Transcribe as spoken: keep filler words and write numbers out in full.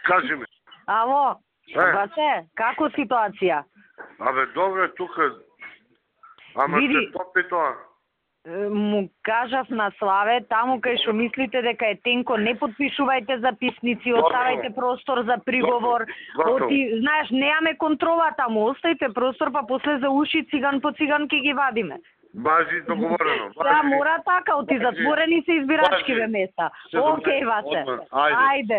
Кажи ми. Ало, Е. бате, како ситуација? Абе, добре, тука. Ама Види. се топи тоа. Е, Му кажав на Славе, таму кај што мислите дека е тенко, не подпишувајте записници, Готово. оставајте простор за приговор. Готово. Оти, знаеш, немаме контрола таму, оставите простор, па после за уши циган по циган ќе ги вадиме. Бажи договорено. Сега мора така, оти Бажи. затворени се избирачкиве Бажи. места. Се Океј, добре. Васе. Одман. Ајде. Ајде.